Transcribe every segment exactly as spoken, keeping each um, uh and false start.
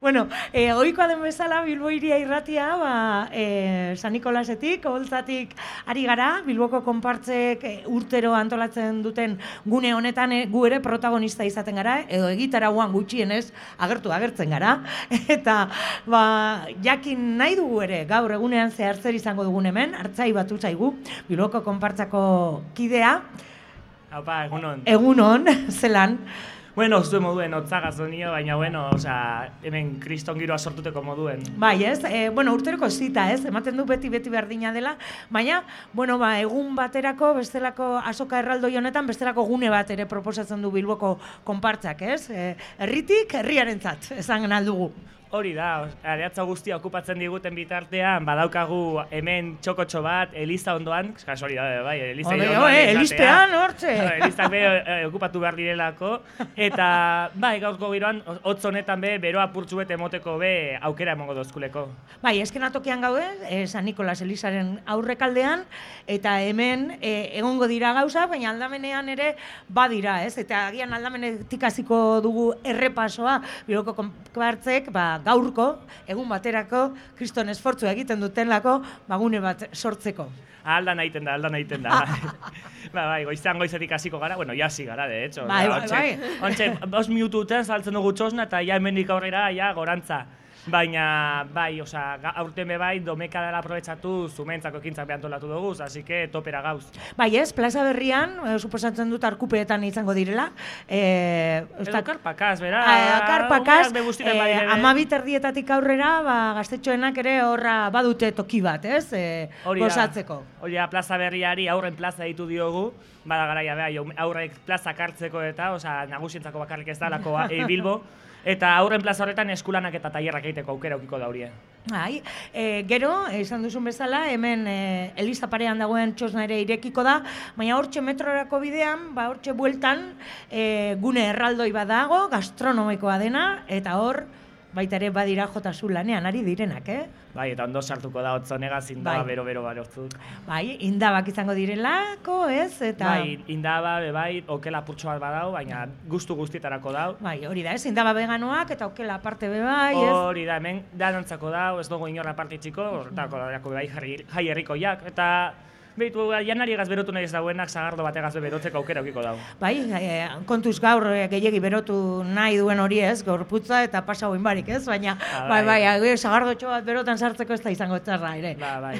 Bueno, e, oikoa den bezala Bilbo Hiria Irratia, ba, e, San Nikolasetik, Oholtzatik ari gara, Bilboko konpartzek e, urtero antolatzen duten gune honetan e, gu ere protagonista izaten gara, edo egitarauan gutxienez agertu agertzen gara, eta ba, jakin nahi dugu ere, gaur egunean zehar zer izango dugun hemen, Artzai batu zaigu, Bilboko konpartzako kidea. Haupa, egunon. Egunon, zelan. Bueno, zuen moduen otzagaz donio, baina bueno, osea, hemen kriston giroa sortuteko moduen. Bai, ez? E, bueno, urteroko zita, ez? Ematen du beti beti berdina dela, baina, bueno, ba, egun baterako, bestelako azoka erraldoi honetan, bestelako gune bat ere proposatzen du Bilboko konpartzak, ez? E, herritik, herriarentzat, esan aldugu. Hori da, areatza guztia okupatzen diguten bitartean, badaukagu hemen txokotxo bat, eliza ondoan, kasualidade, bai, eliza ondoan. Elizpean, hortxe! Elizak be okupatu behar direlako, eta bai, gaurko giroan, hotz honetan be, beroa purtsu bete emoteko be, aukera emongo dozkuleko. Bai, eskena tokian gaude, eh, San Nikolas Elizaren aurrekaldean, eta hemen eh, egongo dira gauza, baina aldamenean ere badira, ez? Eta agian aldamenetik hasiko dugu errepasoa, Bilboko konpartzek, ba, gaurko, egun baterako, kriston esfortzu egiten dutenlako, bagune bat sortzeko. Aldan egiten da, aldan egiten da. Ba, bai, goiztean goizetik hasiko gara, bueno, jasi gara, de hecho. Bai, bai, bai. Ontxe, bos minututan saltzen dugu txosna, eta ja hemendik aurrera, ja, gorantza. Baina, bai, osea, aurten be bai, domeka dela aprobetxatu zumentzako ekintzak behantolatu dugu, así que topera gauz. Bai, ez, plaza berrian, eh, suposatzen dut arkupeetan izango direla. Eh, Edo karpakaz, bera. Eh, karpakaz, eh, amabit erdietatik aurrera, ba, gaztetxoenak ere horra badute toki bat, ez? Eh, gozatzeko. Hori da, plaza berriari aurren plaza ditu diogu, bada garaia, beha, aurrek plazak hartzeko eta, osea, nagusientzako bakarrik ez dalako e, Bilbo, eta aurren plaza horretan eskulanak eta tailerrak egiteko aukera aukiko da horie. Bai, e, gero, esan duzun bezala, hemen e, eliza parean dagoen txosna ere irekiko da, baina hortxe metrorako bidean, ba hortxe bueltan, e, gune erraldoi bat dago, gastronomikoa dena, eta hor, baita ere badira Jotasu lanean ari direnak, eh? Bai, eta ondo sartuko da hotzonegaz indaba bai. bero-bero barotzuk. Bai, indabak izango direlako, ez? Eta... Bai, indaba, bai, okela purtso bat badau, baina gustu guztietarako dau. Bai, hori da, ez? Indaba veganoak eta okela aparte be bai, ez? Hori da, hemen danontzako dau, ez dugu inorra parte txiko, horretako dago bai jai herrikoiak, eta... Behitu, janari egaz berotu nahi ez dauenak, zagardo bat egaz berotzeko aukera aukiko dau. Bai, e, kontuz gaur e, gehiegi berotu nahi duen hori ez, gorputza eta pasa hoin barik ez, baina ba, bai, bai, bai zagardotxo bat berotan sartzeko ez da izango txarra ere. Ba, bai,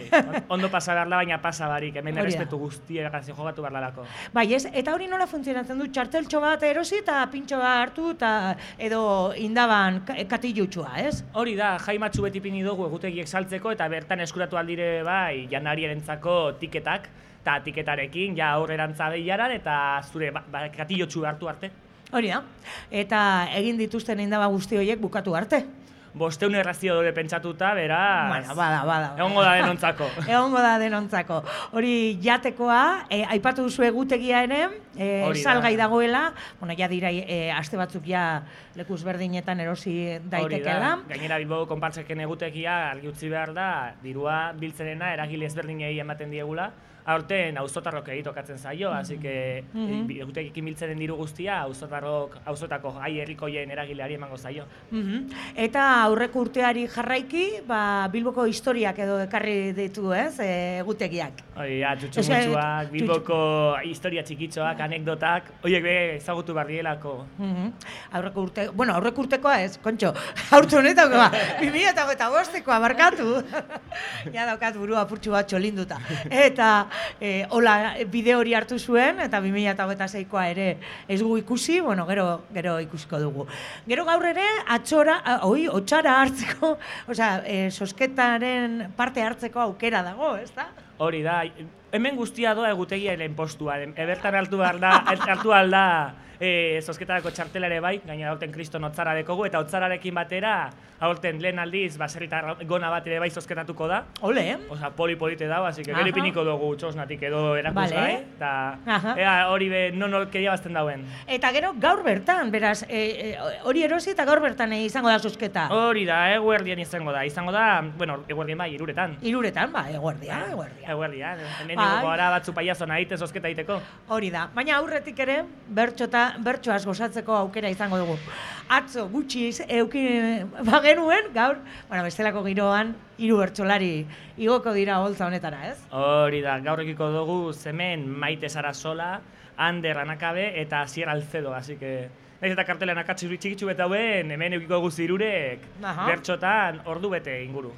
ondo pasa behar da, baina pasa barik, hemen errespetu guztiak jogatu behar dalako. Bai, ez, eta hori nola funtzionatzen du, txarteltxo bat erosi eta pintxo bat hartu eta edo indaban katilutxua, ez? Hori da, jaimatxu beti pini dugu egutegiek saltzeko eta bertan eskuratu aldire bai, janarierentzako tiketa eta tiketarekin, ja aurrerantza behiaran, eta zure ba, ba, katilotxu hartu arte. Hori da, eta egin dituzten indaba guzti horiek bukatu arte. Bosteun errazio dure pentsatuta, beraz... Bueno, bada, bada. Egongo da denontzako. Egongo da denontzako. Hori jatekoa, e, aipatu duzu egutegia ere, e, salgai dagoela, bueno, ja dira, e, aste batzuk ja lekuz berdinetan erosi daitekela. Hori da, gainera Bilboko konpartzeken egutegia argi utzi behar da, dirua biltzerena eragile ezberdinei ematen diegula, aurten auzotarrok egitokatzen zaio, hasi que egutegikin biltzenen diru guztia auzotarrok, auzotako jai herrikoien eragileari emango zaio. Eta aurreko urteari jarraiki, ba, Bilboko historiak edo ekarri ditu, ez, egutegiak. Hori, ja, txutxumutxuak, Bilboko historia txikitxoak, anekdotak, horiek be ezagutu barrielako. Aurreko urte, bueno, aurreko urtekoa ez, kontxo, aurte honetako, bi mila eta bostekoa barkatu. Ja daukat burua purtsu bat txolinduta. Eta E, hola bide hori hartu zuen, eta bi mila hogeita seikoa ere ez gu ikusi, bueno, gero, gero ikusiko dugu. Gero gaur ere, atxora, oi, otxara hartzeko, osea, e, sosketaren parte hartzeko aukera dago, ez da? Hori da, hemen guztia doa egutegiaren postua, ebertan hartu behar da, hartu alda e, zozketarako txartela ere bai, gaina aurten kriston otzara dekogu, eta otzararekin batera, aurten lehen aldiz, baserritar gona bat ere bai zozketatuko da. Ole, eh? Osa, poli-polite dago, así que gero ipiniko dugu txosnatik edo erakusgai, eta ea hori be, non orkeria bazten dauen. Eta gero gaur bertan, beraz, hori erosi eta gaur bertan izango da zozketa. Hori da, eguerdian izango da, izango da, bueno, eguerdian bai, iruretan. Iruretan, ba, eguerdia, eguerdia. Eguerdia, hemen dugu gara batzu paiazo nahite zozketa egiteko. Hori da, baina aurretik ere, bertxota ba, bertsoaz gozatzeko aukera izango dugu. Atzo gutxi euki bagenuen, gaur, bueno, bestelako giroan, hiru bertsolari igoko dira holtza honetara, ez? Hori da, gaur ekiko dugu hemen Maite Sarasola, Ander Anakabe eta Asier Alcedo, así que... Naiz eta kartelean akatsi txikitsu beta hauen, hemen eukiko guzti irurek bertxotan ordu bete inguru.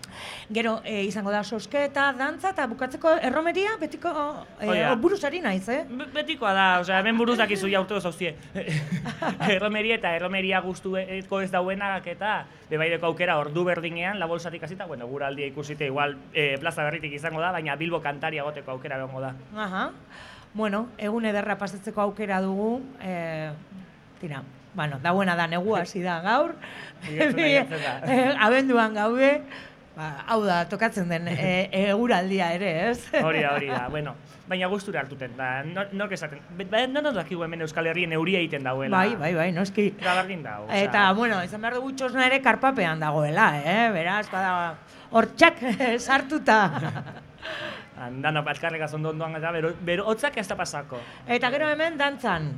Gero, e, izango da sosketa, dantza eta bukatzeko erromeria, betiko e, buruzari naiz, eh? Betikoa da, osea, hemen buruz dakizu ja urte gozauzie. Erromeria eta erromeria guztueko ez dauenak eta bebaideko aukera ordu berdinean, la bolsatik hasita, bueno, guraldia ikusite, igual e, plaza berritik izango da, baina Bilbo kantaria goteko aukera egongo da. Aha. Bueno, egun ederra pasatzeko aukera dugu, e, tira, bueno, da buena da, negua hasi da gaur, abenduan gaude, ba, hau da, tokatzen den e, eguraldia ere, ez? Hori da, hori da, bueno, baina gustura hartuten, da, nork esaten, no nos dakigu hemen Euskal Herrien euria egiten dagoela. Bai, bai, bai, noski. Eta bardin dago. Eta, bueno, izan behar dugu txosna ere karpapean dagoela, eh? Beraz, bada, hortxak sartuta. Dano, alkarrega zondoan eta bero, bero, hotzak ez da pasako. Eta gero hemen dantzan.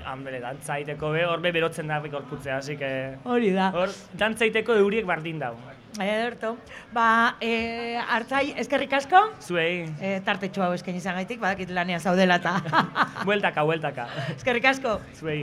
Hanbele, dantza iteko be, hor be berotzen da gorputzea, así que... Hori da. Hor, dantza iteko euriek bardin dago. Ederto. Ba, e, hartzai, eskerrik asko. Zuei. E, tartetxo hau eskaini izan gaitik, badakit lanean zaudela eta... Bueltaka, bueltaka. Eskerrik asko. Zuei.